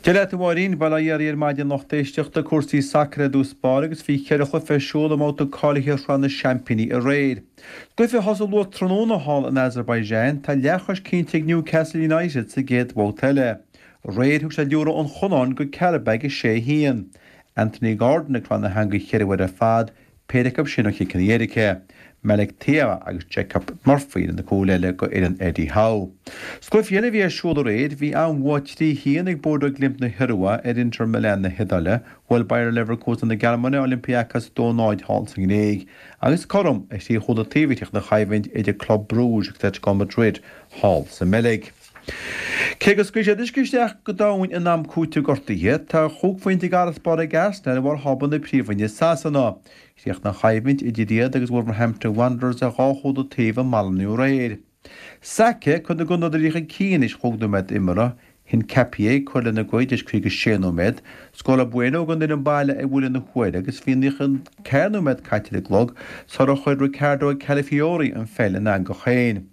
Dia leat a Mháirín, Bail ó Dhia oraibh ar maidin lucht éisteachta, cúrsaí sacair i dtús báire agus bhí cheithre chluiche ar siúl i mbabhta cáilithe Shraith na Seaimpíní aréir. Sa gcluiche a thosaigh luath tráthnóna thall in Azerbaijan, tá leathchois cinnte ag Newcastle United sa gcéad bhabhta eile. Aréir thug siad liathróid an Chonáin go Qarabag 6-1. Anthony Gordon ag cur na heangaí cheithre uair ar fad, péire acu sin ó chiceanna éirice. Malick Thiaw agus Jacob Murphy ar na cúil eile go fhoireann Eddie Howe. Sa gcluiche eile a bhí ar siúl aréir, bhí an-bhua 3-1 ag Bodo Glimt na hIorua ar Inter Milan na hIodáile, bhuail Bayer Leverkusen na Gearmáine Olympiakos 2-0 thall sa nGréig, agus cothrom ar thrí chúl an taobh a chríochnaigh an choimhlint idir Club Brugge agus Atletico Madrid thall sa mBeilg. Cé gur scaoil siad uisce isteach go domhain in am cúitimh gortuithe, tá chúig phointe d'fharasbarr ag Arsenal ar bharr thábla na Príomhroinne i Sasana. Chríochnaigh an choimhlint idir iad agus Wolverhampton Wanderers ar dhá chúl an taobh i Molineux aréir. Saka ag cur na gCuanadóirí chun cinn théis chúig nóiméad imeartha, Hincapié ag cur lena gcuid théis 56 nóiméad, scóráil Bueno don fhoireann baile ar bhuille na huaire agus bhí 94 nóiméad caite ar an gclog sular chuir Riccardo Calafiori an pheil ina eangach féin.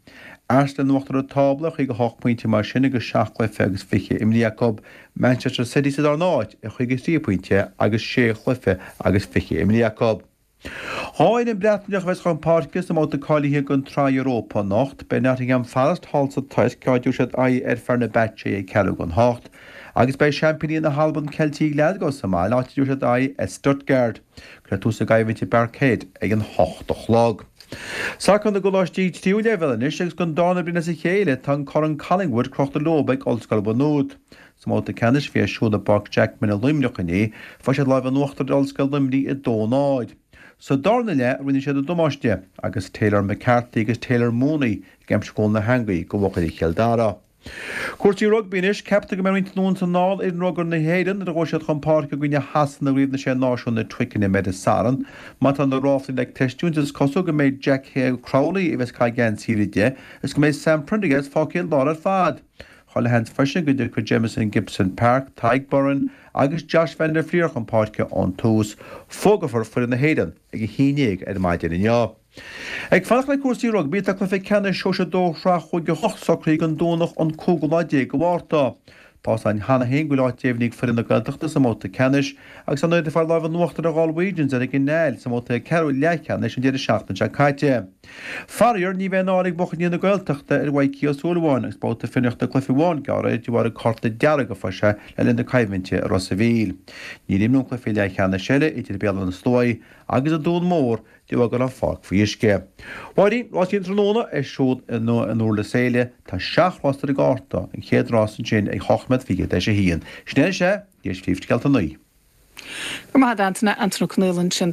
Arsenal in uachtar an tábla ar 58 pointe mar sin agus seacht gcluiche agus fiche imrithe acu, Manchester City sa darna háit ar 53 pointe agus sé chluiche agus fiche imrithe acu. Dhá fhoireann Breatnaiseach a bheas chun páirce sa mbabhta cáilithe don tSraith Europa anocht. Beidh Nottingham Forest thall sa Tuirc, áit a dtabharfaidh siad aghaidh ar Fenerbahce ag ceathrú don hocht. Agus beidh seaimpíní na hAlban Ceiltigh Glasgow sa mbaile, áit a dtabharfaidh siad aghaidh ar Stuttgart. Cuirfear tús le coimhlint i bParkhead ag an hocht a chlog. Sacar na gcoláistí tríú leibhéal anois agus don darna bliain as a chéile tá an Corn Collingwood crochta leo ag Ollscoil Mhaigh Nuad. Sa mbabhta ceannais a bhí ar siúl i bPáirc Jackman i Luimneach inné, fuair siad lámh in uachtar ar Ollscoil Luimnigh 2-0. Sa darna leath a rinne siad an damáiste, agus Taylor McCarthy agus Taylor Mooney ag aimsiú cúl na heangaí do bhuachaillí Chill Dara. Cúrsaí rugbaí anois, ceaptar go mbeidh roinnt anonn is anall ar fhoireann rugair na hÉireann nuair a ghabhfaidh siad chun páirce i gcoinne Shasana i gCraobh na Sé Náisiún i Twickenham ar an Satharn. Má tá na ráflaí le creistiúint is cosúil go mbeidh Jack Crowley a bheas ag caitheamh geansaí uimhir a 10 is go mbeidh Sam Prendergast fágtha ar lár ar fad. Chuile sheans freisin go dtiocfaidh Jamison Gibson-Park, Tadhg Beirne agus Josh van der Flier chun páirce ón tús. Fógrófar foireann na hÉireann ag 11 ar maidin inniu. Ag fanacht le cúrsaí rugbaí, tá cluiche ceannais Sóisir 2 Shraith Chúige Chonnacht socraithe don Domhnach an cúigiú lá déag de Mhárta. Tá's againn cheana féin go bhfuil áit deimhnithe ag foireann na Gaeltachta sa mbabhta ceannais agus ar ndóigh iad ag fáil lámh in uachtar ar Ghalwegians ar an gCanáil sa mbabhta ceathrú leathcheannais an deireadh seachtaine seo caite. Faraor, ní bheidh an áir ag buachaillí na Gaeltachta ar Mhaidhcí Ó Súilleabháin agus babhta fionraíochta cluiche amháin gearrtha air de bharr an cárta dearg a fuair sé le linn na coimhlinte i Ros a' Mhíl. Níor imríodh an cluiche leathcheannais eile idir Béal Átha na Sluaighe agus an Dún Mór de bharr go raibh an pháirc faoi uisce. Mháirín, rásaí an tráthnóna ar siúl in Durlas Éile. Tá seacht rás ar an gcárta, an chéad rás ansin ag hocht nóiméad fichead théis a haon. Sin é anois é, d'éis 8:55. Go raibh maith agat, Antaine, Antaine Ó Conaola ansin.